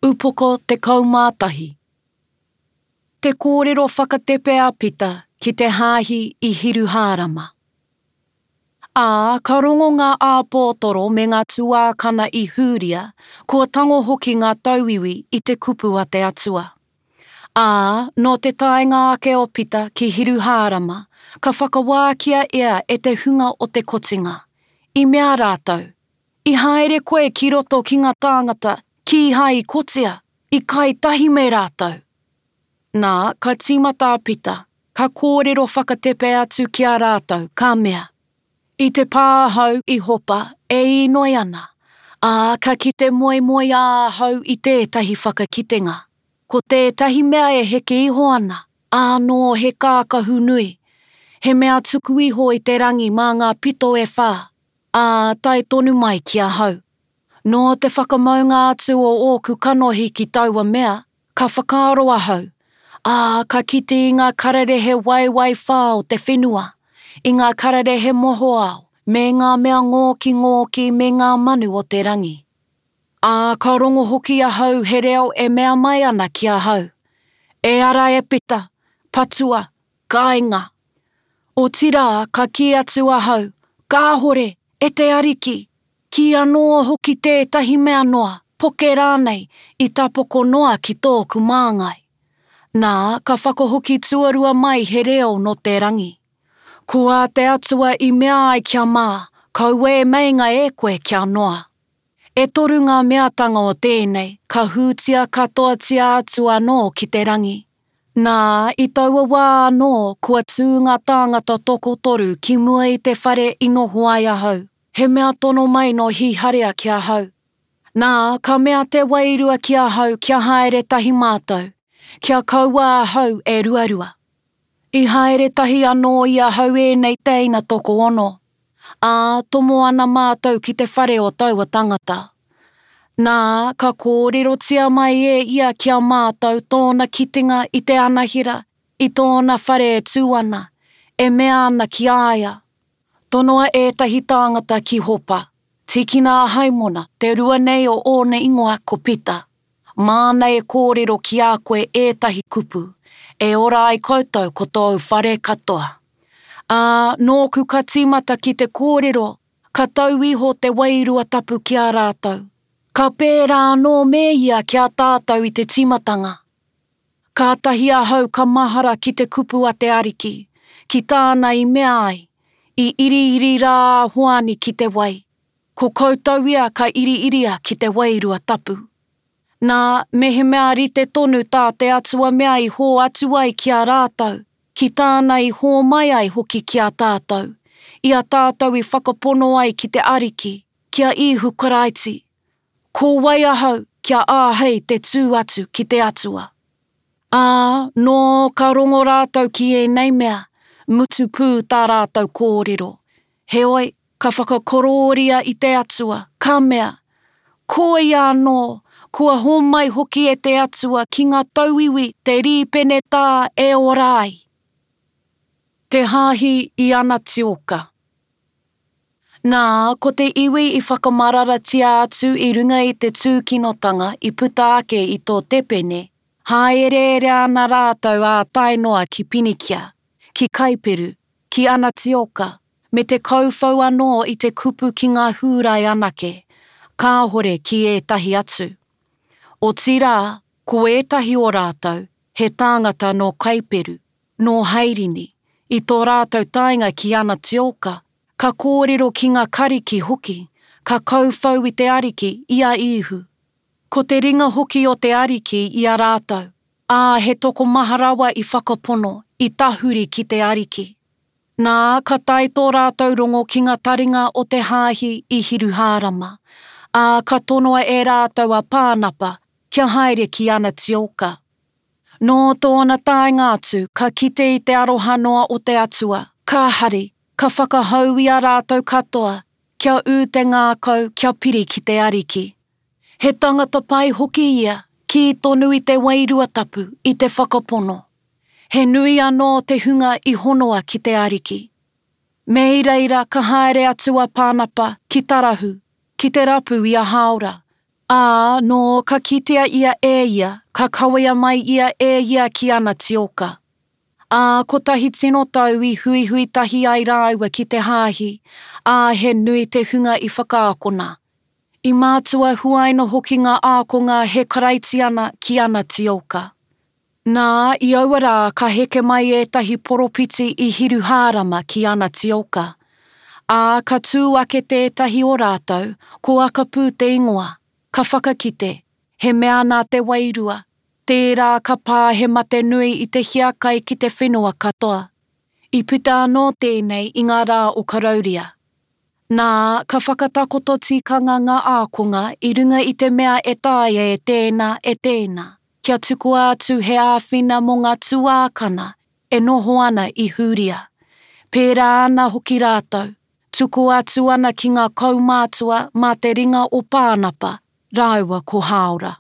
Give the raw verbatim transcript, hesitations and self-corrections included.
Upoko tekau mā tahi. Te kōrero whakatepe a Pita ki te hāhi i Hiruhārama. Ā, ka rongo ngā āpōtoro me ngā tuākana i Hūria, kua tango hoki ngā tauiwi i te kupu a te Atua. Ā, nō te taenga ake o Pita ki Hiruhārama, ka whakawākia ia e te hunga o te kotinga. I mea rātou, I haere koe ki roto ki ngā tāngata kīhai i kotia, i kai tahi me rātou. Nā, ka tīmata a Pita, ka kōrero whakatepe atu ki a rātou, ka mea, I te pā ahau i Hopa e īnoi ana, ā, ka kite moemoeā ahau i tētahi whakakitenga, ko tētahi mea e heke iho ana, ānō he kākahu nui, he mea tuku iho i te rangi mā ngā pito e whā, ā, tae tonu mai ki ahau. Nō te whakamaunga atu o ōku kanohi ki taua mea, ka whakaaro ahau, ā, ka kite i ngā kararehe waewae whā o te whenua, i ngā kararehe mohoao, me ngā mea ngōkingōki me ngā manu o te rangi. Ā, ka rongo hoki ahau he reo e mea mai ana ki ahau, E ara e Pita, patua, kainga. Otirā, ka kī atu ahau, Kāhore, e te Ariki, kī anō hoki tētahi mea noa, poke rānei, i tapoko noa ki tōku māngai. Nā, ka whakahoki tuarua mai he reo nō te rangi. Ko ā te Atua i mea ai kia mā, kaua e meinga e koe kia noa. E toru ngā meatanga o tēnei, ka hūtia katoatia atu anō ki te rangi. Nā, i taua wā anō, kua tū ngā tāngata tokotoru ki mua i te whare i noho ai ahau, he mea tono mai nō Hīharea ki ahau. Nā, ka mea te Wairua ki ahau kia haere tahi mātou, kia kaua ahau e ruarua. I haere tahi anō i ahau ēnei teina tokoono, ā, tomo ana mātou ki te whare o taua tangata. Nā, ka kōrerotia mai e ia ki a mātou tōna kitenga i te anahera, i tōna whare e tū ana, e mea ana ki a ia, Tonoa ētahi tāngata ki Hopa, tīkina a Haimona, te rua nei o ōna ingoa ko Pita, māna e kōrero ki a koe ētahi kupu, e ora ai koutou ko tōu whare katoa. Ā, nōku ka tīmata ki te kōrero, ka tau iho te Wairua Tapu ki a rātou. Ka pērā anō me ia ki a tātou i te tīmatanga. Kātahi ahau ka mahara ki te kupu a te Ariki, ki tāna i mea ai, I iriiri rā a Hoani ki te wai, ko koutou ia ka iriiria ki te Wairua Tapu. Nā, mehemea rite tonu tā te Atua mea i hōatu ai ki a rātou, ki tāna i hōmai ai hoki ki a tātou, i a tātou i whakapono ai ki te Ariki, ki a Īhu Karaiti, Ko wai ahau kia āhei te tū atu ki te Atua? Ā, nō ka rongo rātou ki ēnei mea, mutu pū tā rātou kōrero. Heoi, ka whakakorōria i te Atua, ka mea, Koia anō, kua hōmai hoki e te Atua ki ngā tauiwi te rīpenetā e ora ai. Te Hāhi i Anatioka. Nā, ko te iwi i whakamararatia atu i runga i te tūkinotanga i puta ake i tō Tepene, hāereere ana rātou ā tae noa ki Pinikia, ki Kaiperu, ki Anatioka, me te kauwhau anō i te kupu ki ngā Hūrai anake, kāhore ki ētahi atu. Otirā, ko ētahi o rātou, he tāngata nō Kaiperu, nō Hairini, i tō rātou taenga ki Anatioka, ka kōrero ki ngā Kariki hoki, ka kauwhau i te Ariki, i a Īhu. Ko te ringa hoki o te Ariki i a rātou, ā, he tokomaha rawa i whakapono, i tahuri ki te Ariki. Nā, ka tae tō rātou rongo ki ngā taringa o te Hāhi i Hiruhārama, ā, ka tonoa e rātou a Pānapa kia haere ki Anatioka. Nō tōna taenga atu, ka kite i te aroha noa o te Atua, ka hari, ka whakahau i a rātou katoa, kia ū te ngākau kia piri ki te Ariki. He tangata pai hoki ia, kī tonu i te Wairua Tapu, i te whakapono. He nui anō te hunga i honoa ki te Ariki. Me i reira ka haere atu a Pānapa ki Tarahu, ki te rapu i a Hāora, Ā, nō ka kitea ia e ia, ka kawea mai ia e ia ki Anatioka. Ā, kotahi tino tau i huihui tahi ai rāua ki te hāhi, ā, he nui te hunga i whakaakona. I mātua huaina hoki ngā ākonga he Karaitiana ki Anatioka. Nā, i aua rā ka heke mai ētahi poropiti i Hiruhārama ki Anatioka. Ā, ka tū ake tētahi o rātou, ko Akapū te ingoa, ka whakakite, he mea nā te Wairua, tērā ka pā he mate nui i te hiakai ki te whenua katoa. I puta anō tēnei i ngā rā o Karauria. Nā, ka whakatakoto tikanga ngā ākonga i runga i te mea e taea e tēnā, e tēnā. Kia tukua atu he āwhina mō ngā tuākana e noho ana i Hūria. Pērā ana hoki rātou, tukua atu ana ki ngā kaumātua mā te ringa o Pānapa rāua ko Hāora.